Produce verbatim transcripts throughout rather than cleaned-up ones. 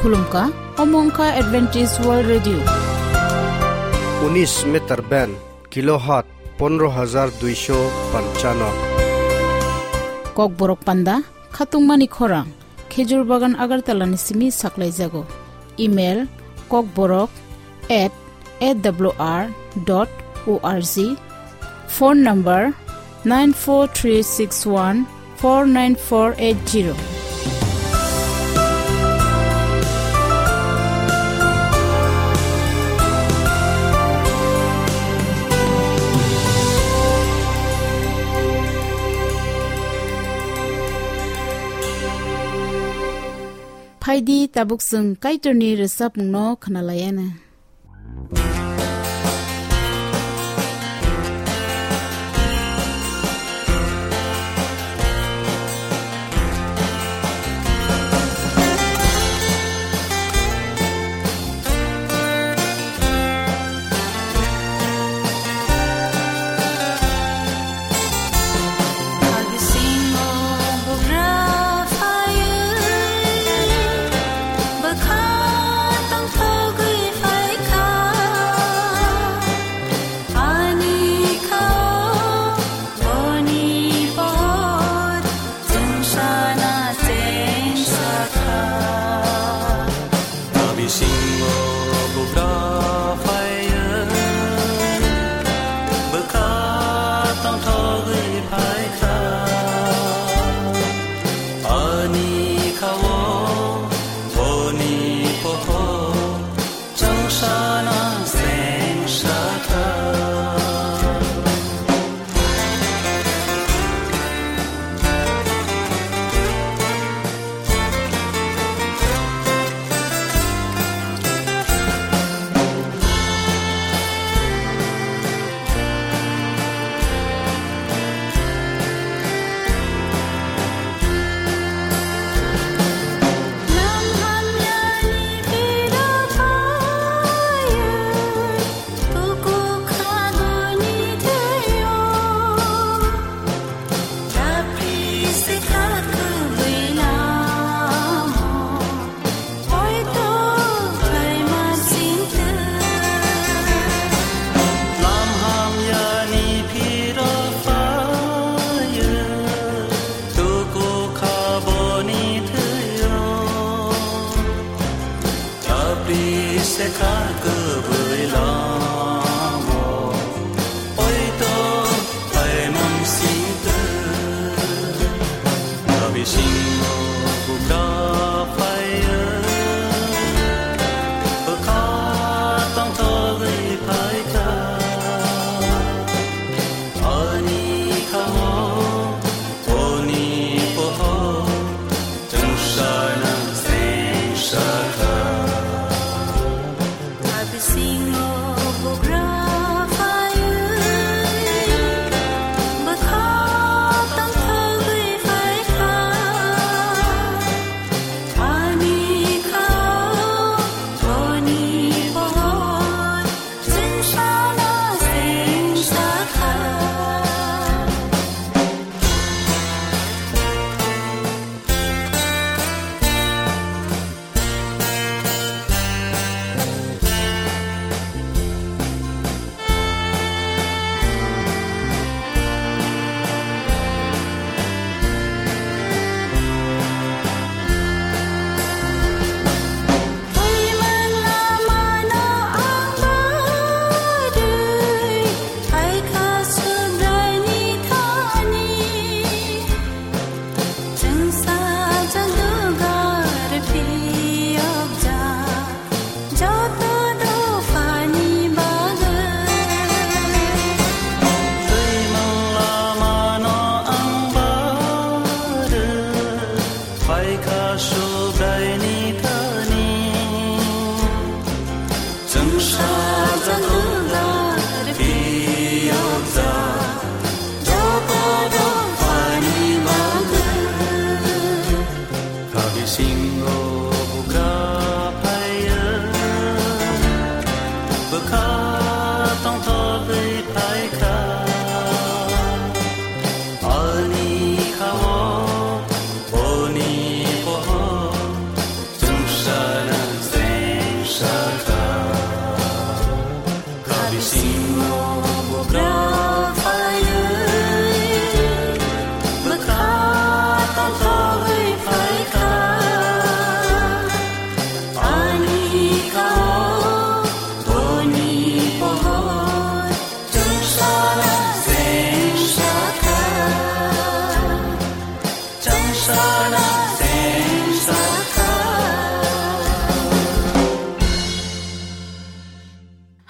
Khulumkha, omo wngkha Adventist World Radio. Unis meter band, kilohertz pondro hajar duisho panchano. Kokborok panda, khatungmani khorang, Khejur Bagan Agartala ni simi saklaijago. Email, kokborok at A W R dot O R G. Phone number nine four three six one four nine four eight zero. Phaidi tabuk chwng Kaitorni rwchapmungno khwnalaiana. Bisingo bugra phaiyo, bwkha tongthogwi phaikha. Ani khao boni pohor chwngsano sengsakha. Lam hamyani phiro phaio, tuku kha boni thwio. Tapri se kha kwbwi lamo, oito phaimang singtwi. Bisingo bugra phaiyo, bwkha tongthogwi phaikha. Ani khao boni pohor chwngsano sengsakha.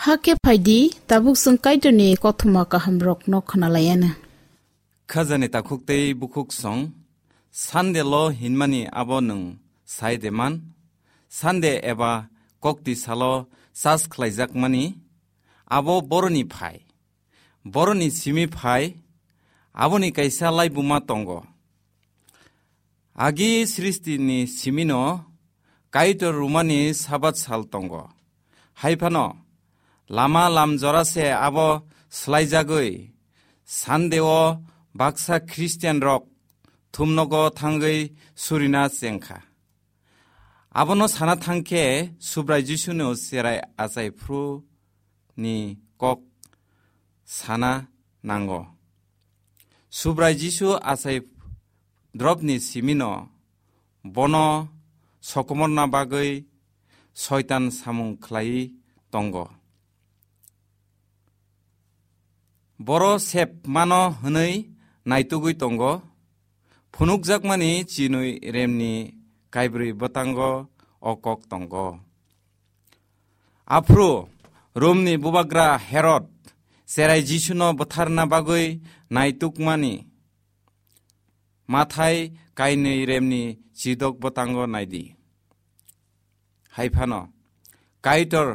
Hakhe phaidi, tabuk chwng Kaitorni kothoma kahamrokno khwnalaianw. Khajani takhuk tei bukhuk song, Sunday lo hinmani abo nwng sai de man? Sunday eba kokti salo chas khlaijakmani, abo boroni phai. Boroni simi phai, aboni kaisa laibuma tongo. Agi sristini simino Kaitor rumani Sabat sal tongo. Hai phano, lama lam jora se abo swlaijagwi, Sunday o baksa Christian rok thumnogo thangwi surina chengkha. Abono sana thangkhe Subrai Jisuno cherai achai phru ni kok sana nango. Subrai Jisu achai dropni simino bono sokomorna bagwi Soitan samung khlaiwi tongo. Boro sep mano hwnwi naitugwi tongo. Phunukjakmani chinwi remni kaibrwi bwtango o kok tongo. Aphuru Romni bubagra Herod cherai Jisuno bwtharna bagwi naitukmani Mathai kainwi remni chidok bwtango naidi. Hai phano Kaitor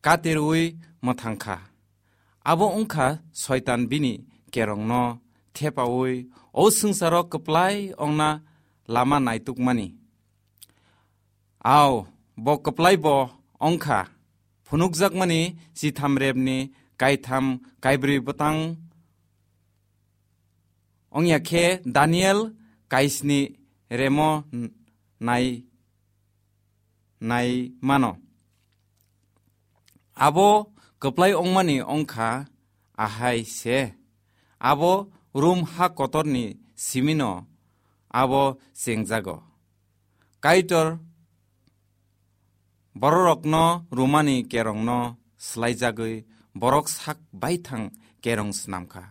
katirwi mwthangkha. Abo wngkha Soitan bini kerongno thepaui o swngcharo kwplai ongna lama naitukmani. Au, bo kwplai bo ongkha. Phunukjakmani chitham repni kaitham kaibrwi bwtang ongya khe Daniel kaisni remo n-, nai, nai mano. Abo kwplai ongmani ongkha ahai se. Abo Rum ha kotorni simino abo chengjago. Kaitor bororokno rumani kerongno swlaijagwi borok sak baithang kerong snamkha.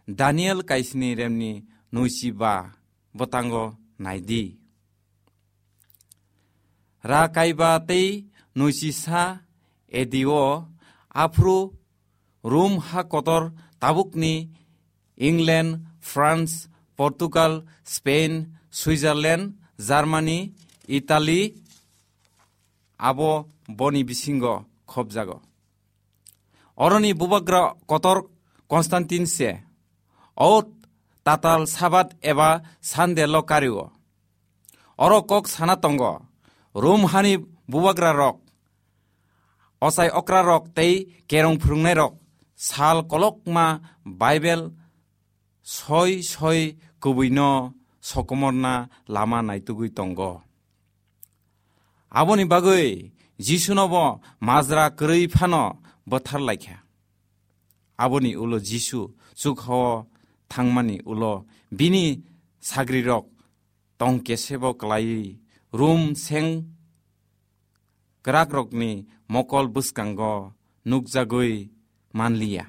Daniel kaisni remni nuichi ba bwtango naidi. Ra kaiba tei nuichi sa A D o aphuru Rum ha kotor tabukni England, France, Portugal, Spain, Switzerland, Germany, Italy abo boni bisingo khopjago. Oroni bubagra kotor Constantine se o tatal Sabat eba Sunday lo kario. Oro kok sana tongo, Rum hani bubagra rok, ochai okra rok tei kerong phwrwngnai rok sal kolokma Bible soi soi kubuino sokomorna lama naitugwi tongo. Aboni bagwi Jisunobo majra kwrwi phano bwthar laikha. Aboni ulo Jisu chukhao thangmani ulo bini sagrirok tong kesebo klaiwi Rum seng kwrakrokni mokol bwskango nukjagwi manliya.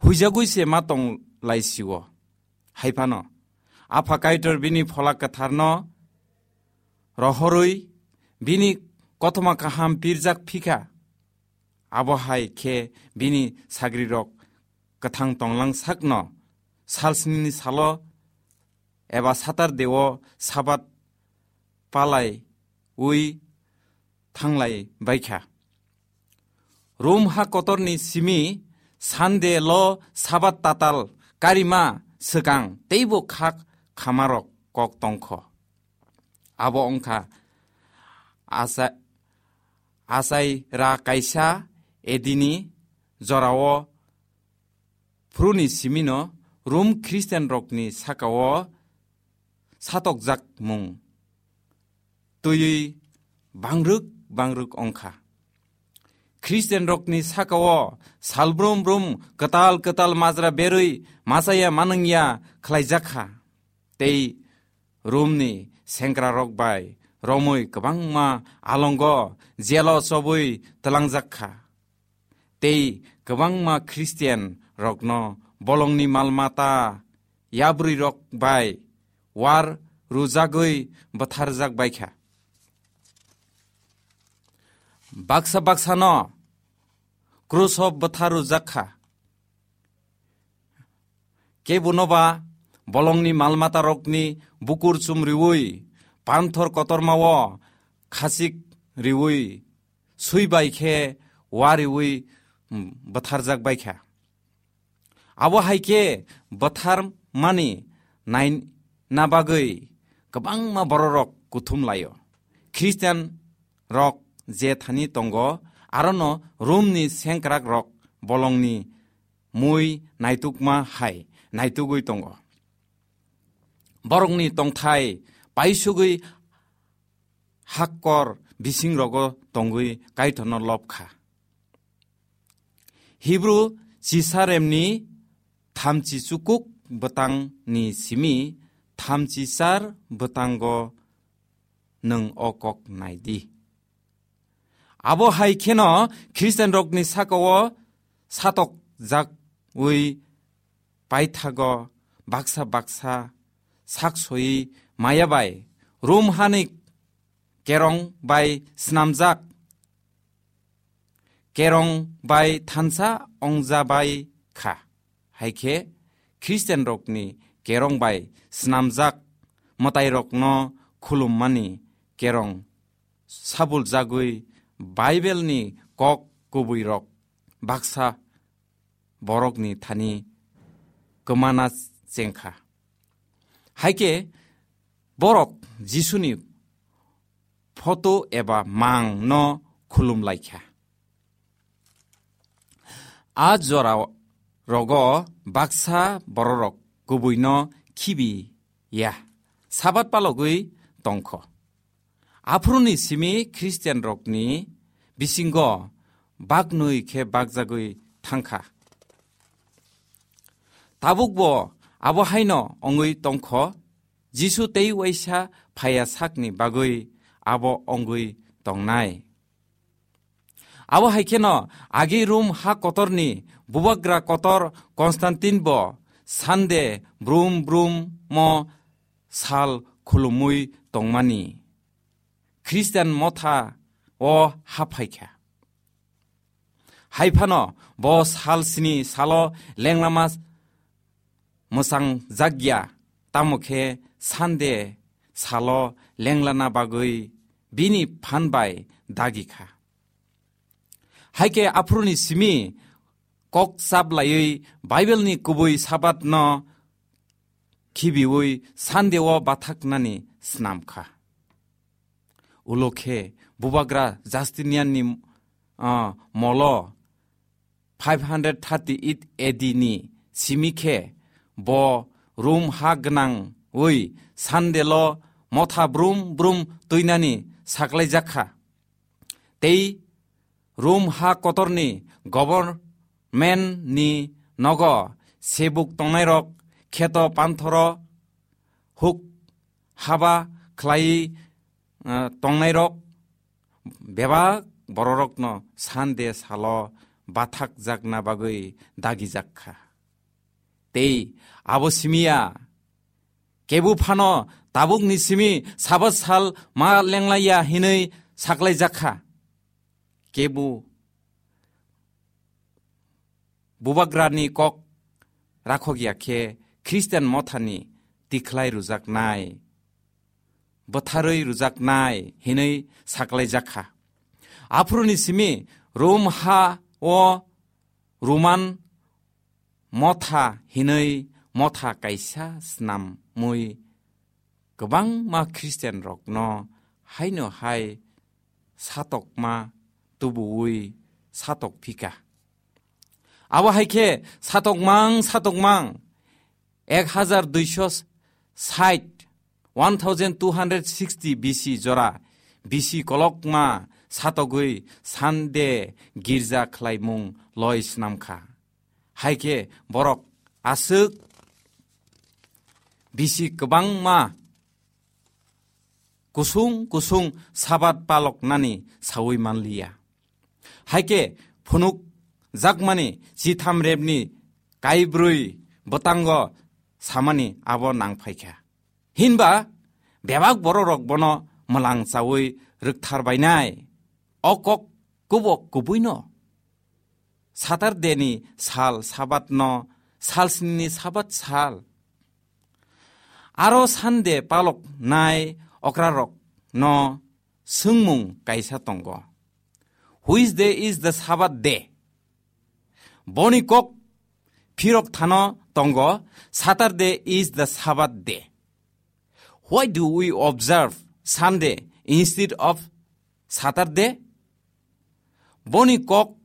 Huijagwi se ma tong laisio. Hai phano, Apha Kaitor bini Phola Kwtharno rohorwi bini kothoma kaham pirjak phikha. Abo hai khe bini sagrirok kwthang tonglang sakno salsnini salo eba Saturday o Sabat palai ui thanglai baikha. Rum ha kotorni simi Sunday lo Sabat tatal karima swkang teibo khak khamarok kok tongkho. Abo wngkha asa-, asai ra kaisa edini jorao phuruni simino Rum Christian rokni sakao satokjak mung twiwi bangrwk bangrwk ongkha. Christian rokni sakao salbrum brum kwtal kwtal majra berwi machaya manwngya khlaijakha. Tei Romni sengkrarok bai romwi kwbangma alongo jelo chobwi twlangjakha. Tei kwbangma Christian rokno bolongni malmata yabrwi rok bai war rwjagwi bwtharjak baikha. Baksa baksano kruso bwtharujak kha. Kebono ba bolongni malmatarokni bukur chumriwi, panthor kotormao khachik riwi, sui bai khe wariwi, mm, bwtharjak bai kha. Abo hai khe bwtharmani naina bagwi kwbangma bororok kuthum laio. Khristian rok je thani tongo, arono Romni sengkrak rok bolongni mui naitukma hai naitugwi tongo. Borokni tongthai paisugwi hakkor bisingrogo tongwi Kaitorno lob kha. Hibru chisaremni thamchi chukuk bwtangni simi thamchi char bwtango nwng o kok nai di. Abo hai kheno Khristianrokni saka-o satokjagwi paithago baksa baksa sak sowi maya bai Rom hani kerong bai snamjak, kerong bai thansa ongjabai kha. Hai khe Khristianrokni kerong bai snamjak mwtairokno khulummani kerong sabuljagwi Baibelni kok kubuirok baksa borokni thani kwmana chengkha. Hai khe borok Jisuni photo eba mang no khulum lai kha. A jora rogo baksa bororok kubui no khibi ya, Sabat palogwi tongkho. Aphuruni simi Khristian rokni bisingo baknwi khe bakjagwi thangkha. Tabukbo abo haino ongwi tongkho, Jisu tei waisa phaiya sakni bagwi abo ongwi tongnai. Abo hai kheno agi Rom ha kotorni bubagra kotor Konstantin bo Sande brum brum mo sal khulumui tongmani Khristian motha o haphai kha. Hai phano bo sal sini salo lenglama mwchang jakya, tamo khe Sande salo lenglana bagwi bini phan bai dagi kha. Hai khe aphuruni simi kok chap laiwi Bible ni kubui Sabat no khibiwi Sande o bathaknani snam kha. Ulo khe bubagra Justinian ni, ah, molo five hundred thirty-eight A D ni simi khe bo Rom ha gwnangwi Sande lo motha brum brum twinani saklaijak kha. Tei Rom ha kotorni government ni nogo sebuk tongnairok, kheto panthoro huk haba khlai, eh, tongnairok bebak bororokno Sande salo bathakjakna bagwi dagijak kha. Tei abo simiya, kebu phano tabukni simi Sabat sal ma lenglaiya hinwi saklaijak kha. Kebu bubagrani kok rakhok ya khe Khristian mothani tikhlai rwjaknai, bwtharwi rwjaknai hinwi saklaijak kha. Aphuruni simi Rom ha o Roman motha hinwi motha kaisa snamwi kwbangma Khristian rokno haino hai satokma tubuwi satok phika. Abo hai khe satokmang satokmang ek hajar duiso sait, one thousand two hundred sixty B C jora B C kolokma satogwi Sande girja khlaimung loi snam kha. Hai khe borok aswk bisi kwbangma kusung kusung Sabat paloknani saui manliya. Hai khe phunuk jakmani chitham rebni kaibrwi bwtango samani abo nang phaikha. Hinba bebak bororok bono mwlang chaui rwkthar bainai. O kok kubok kubuino Saturday ni sal Sabat no sal sni ni Sabat sal. Aro Sunday palok nai okrarok no swngmung kaisa tongo. Which day is the Sabbath day? Boni kok phirok thano tongo, Saturday is the Sabbath day. Why do we observe Sunday instead of Saturday? Boni kok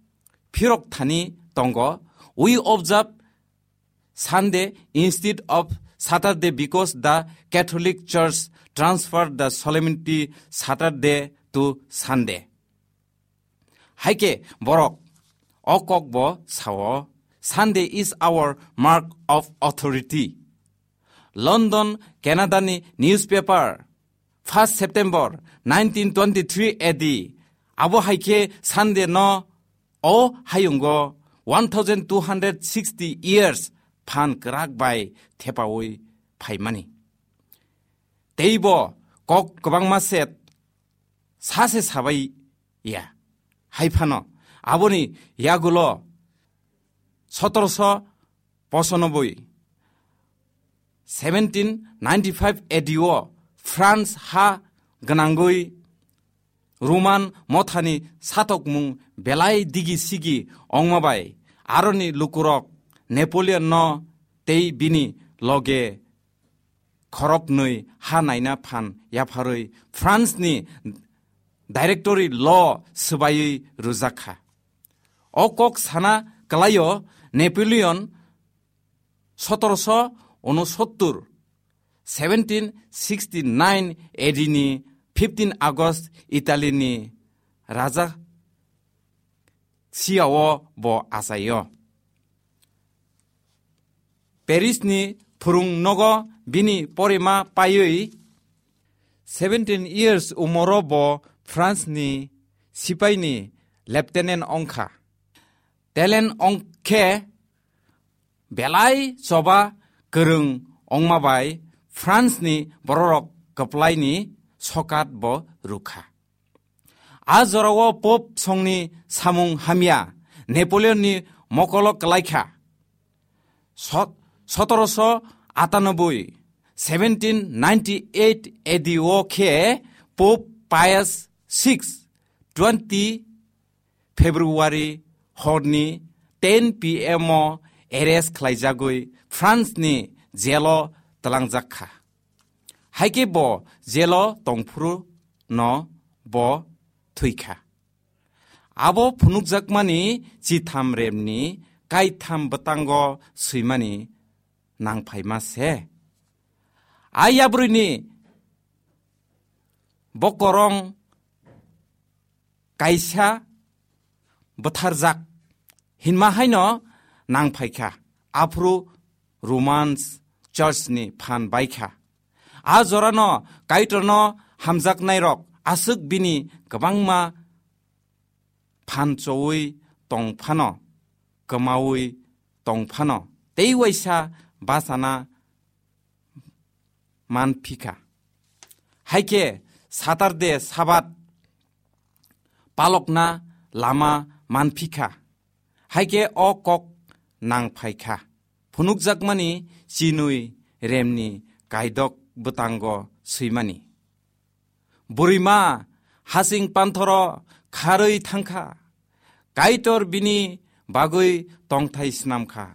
phirok thani tongo, we observe Sunday instead of Saturday because the Catholic Church transferred the solemnity Saturday to Sunday. Haike borok o kokbo sao, Sunday is our mark of authority. London, Canada ni newspaper, first September nineteen twenty-three A D, abo haike Sunday no o hayungo one thousand two hundred sixty years phan kwrak bai thepaui phaimani. Teibo kok kwbangma set sase sabai ya. Hai phano aboni yagulo sotoroso pochanoboi, seventeen ninety-five A D o France ha gwnangwi Roman mothani satokmung belai digi sigi ongma bai aroni lukurok Napoleon no tei bini loge khoroknwi ha naina phan yapharwi France ni directory law swbaiwi rwjak kha. O kok sana kwlaio Napoleon sotoroso unosottor, seventeen sixty nine A D ni fifteen August Italy ni raja siyao bo achaio. Paris ni phwrwng nogo bini porima paiwi seventeen years umoro bo France ni sipai ni lieutenant ongkha. Talent ongkhe belai choba kwrwng ongma bai France ni bororok kwplai ni sokat bo rwkha. A jorao Pope songni samung hamya Napoleon ni mokolo kwlaikha. Sot-, sotoroso atanoboi, seventeen ninety eight A D o khe Pope Pius six, twenty February horni ten P M o arrest khlaijagwi France ni jelo tlangjak kha. Haike bo jelo tongphuru no bo thwikha. Abo phunukjakmani chitham remni kaitham bwtango swimani nangphaima se. A yabrwini bokorong kaisa bwtharjak hinma haino nangphaikha, aphuru Romans Church ni phan baikha. A jorano Kaitorno hamjaknairok aswk bini kwbangma phan chowi tong phano, kwmawi tong phano, tei waisa bachana manphikha. Haikhe Saturday Sabat palokna lama manphikha. Haikhe o kok nangphaikha. Phunukjakmani chinwi remni kaidok bwtango swimani. Bwrwima hasing panthoro kharwi thangkha. Kaitor bini bagwi tongthai snamkha.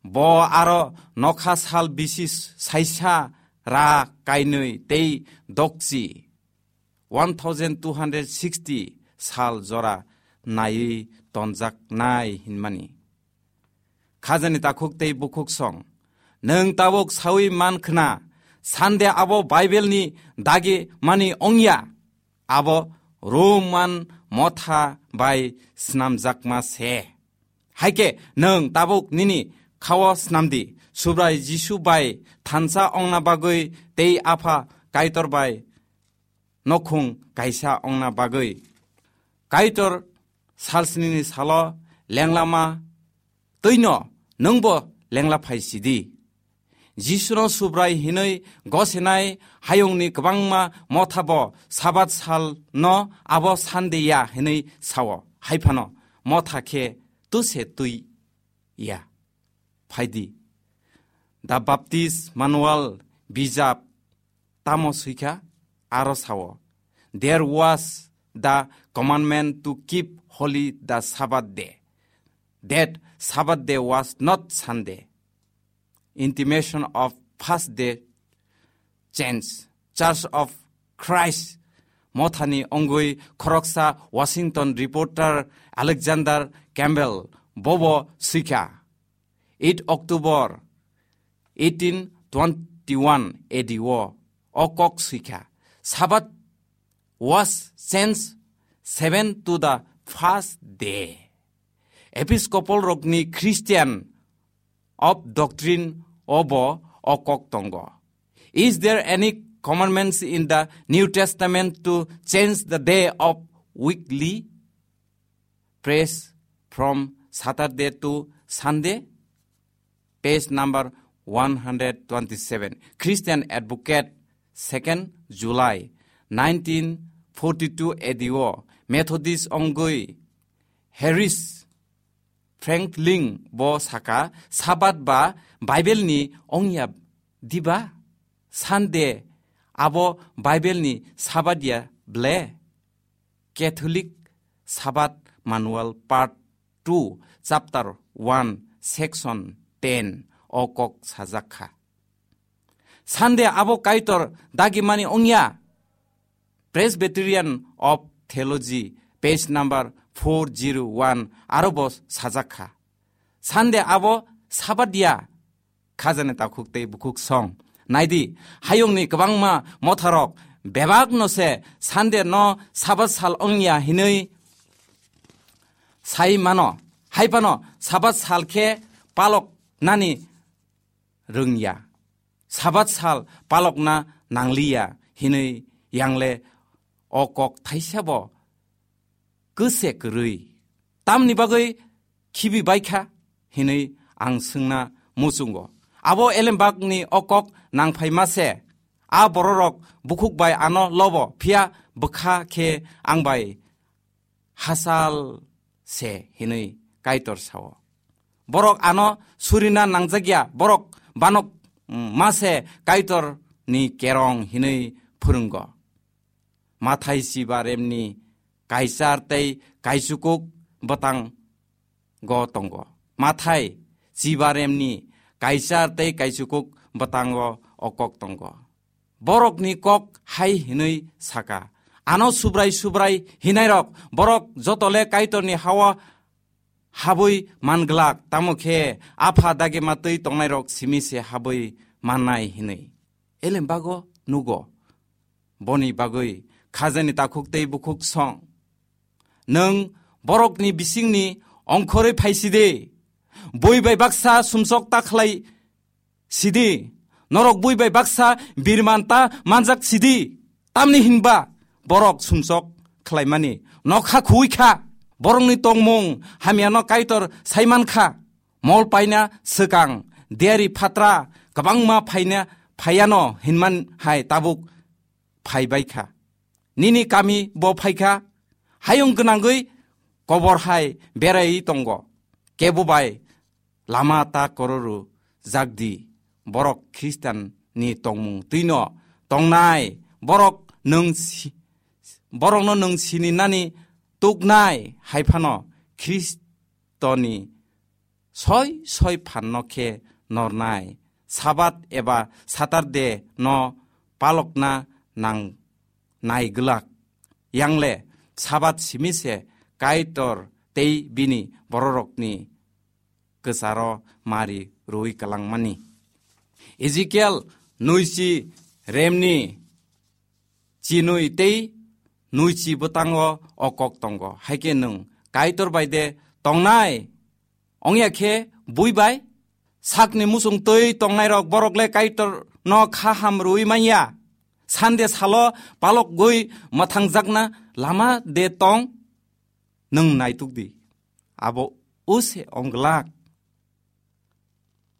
Bo aro nokha sal bisi saisa ra kainwi tei dokchi one thousand two hundred sixty sal jora naiwi tonjaknai hinmani. Khajani takhuk tei bukhuk song. Nwng tabuk sawi man khna, Sunday abo Bible ni dagi mani ongya, abo Roman motha bai snamjakma se. Haikhe nwng tabuk nini khao snamdi, Subrai Jisu bai thansa ongna bagwi tei Apha Kaitor bai nokhung kaisa ongna bagwi. Kaitor salsnini salo lenglama twino nwngbo lengla phai sidi. Jisuno Subrai hinwi gosenai hayungni kwbangma mothabo Sabat salno abo Sunday ya hinwi sao. Haiphano motha khe tuse twi ya. Phaidi. The Baptist Manual bijap tamo swikha aro sao, "There was the commandment to keep holy the Sabbath day, that Sabbath day was not Sunday." Intimation of first day change. Church of Christ mothani ongwi khoroksa Washington reporter Alexander Campbell bobo swikha. Eight October eighteen twenty-one A D o, o kok swikha. Sabbath was changed seven to the first day. Episcopal rokni Christian of doctrine obo o kok tongo. Is there any commandments in the New Testament to change the day of weekly praise from Saturday to Sunday? Page number one hundred twenty-seven. Christian Advocate, second July nineteen forty-two A D o, Methodist ongwi Harris Franklin bo saka, Sabbath ba Bible ni ongya diba? Sunday abo Bible ni Sabbath ya ble? Catholic Sabbath Manual Part two, Chapter one, Section ten o kok sajak kha. Sunday abo Kaitor dagimani ongya? Presbyterian of Theology, page number four zero one, aro bo sajak kha. Sunday abo Sabbath ya? Khajani takhuk tei bukhuk song. Naidi, hayungni kwbangma motharok bebakno se Sunday no Sabbath sal ongya hinwi sai mano. Hai phano Sabbath sal khe palok nani rwngya. Sabbath sal palokna nangliya hinwi yangle o kok thaisa bo kwse kwrwi. Tamni bagwi khibi baikha hinwi ang swngna muchungo. Abo elembakni o kok nangphaima se. A bororok bukhuk bai ano lobo, phiya bwkha khe ang bai hachal se hinwi Kaitor sao. Borok ano surina nangjakya, borok banok, mm, ma se Kaitorni kerong hinwi phwrwngo. Mathai chiba remni kaichar tei kaichukuk bwtang go tongo. Mathai chiba remni kaichar tei kaichukuk bwtango o kok tongo. Borokni kok hai hinwi saka, "Ano Subrai Subrai hinairok, borok jotole Kaitorni hao habwi manglak, tamo khe Apha dagima twi tongnairok simi se habwi mannai," hinwi. Elembago nugo. Boni bagwi khajani takhuk tei bukhuk song. Nwng borokni bisingni ongkhorwi phaisidi, bui bai baksa sumsok ta khlai sidi, norok bui bai baksa birman ta manjak sidi. Tamni hinba borok sumsok khlaimani nokha khuwi kha, borokni tongmung hamyano Kaitor saiman kha. Mol paina swkang, diari phatra kwbangma phaina phaiano hinman hai tabuk phai bai kha. Nini kami bo phai kha, hayung gwnangwi kobor hai berai tongo. Kebo bai lama ta kororu jakdi, borok Khristian ni tongmung twino tongnai, borok nwng si-, borokno nwng sini nani tuknai hai phano Khristoni soi soi phanno khe nornai, Sabat eba Saturday no palokna nang nai glak. Yangle Sabat simi se Kaitor tei bini bororokni kwcharo mari rwi kwlangmani. Ezekiel nuichi remni chinwi tei nuichi bwtango o kok tongo. Haikhe nwng Kaitor bai de tongnai? Ongya khe bui bai? Sakni muchung twi tongnairok borok le Kaitorno kha ham rwui manya. Sande salo palokgwi mwthangjakna lama de tong? Nwng naituk di. Abo use ong glak.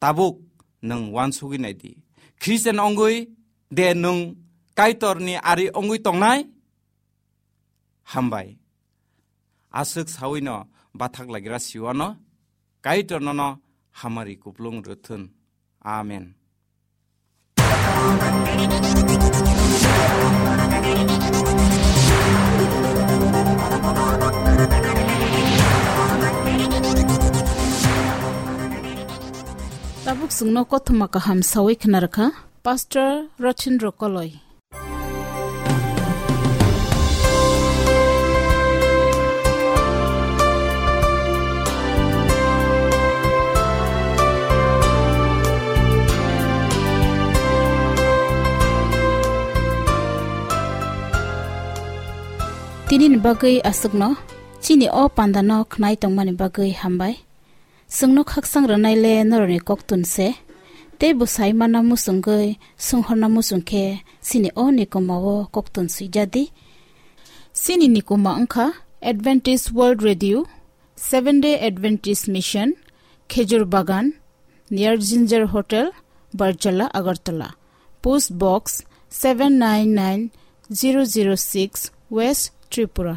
Tabuk nwng uansugwi nai di. Khristian ongwi de nwng Kaitorni ari ongwi tongnai? Hambai. aswk sawino bathak lagira siwano, Kaitor nono hamari kuplung rwthun. Amen. Tabuk chwngno kothoma kaham sawi khna rwkha Pastor Rothendra Koloi. Tinini bagwi aswkno, chini o pandano khnai tongmani bagwi hambai. Chwngno khakchang rwnai le norokni koktun se, tei bwsai mana muchungwi, swnghorna muchung khe chini o nikoma o koktun swijadi. Chini nikoma wngkha Adventist World Radio, Seventh Day Adventist Mission, Khejur Bagan, near Ginger Hotel, Barjala, Agartala. Post Box seven nine nine zero zero six, West Tripura.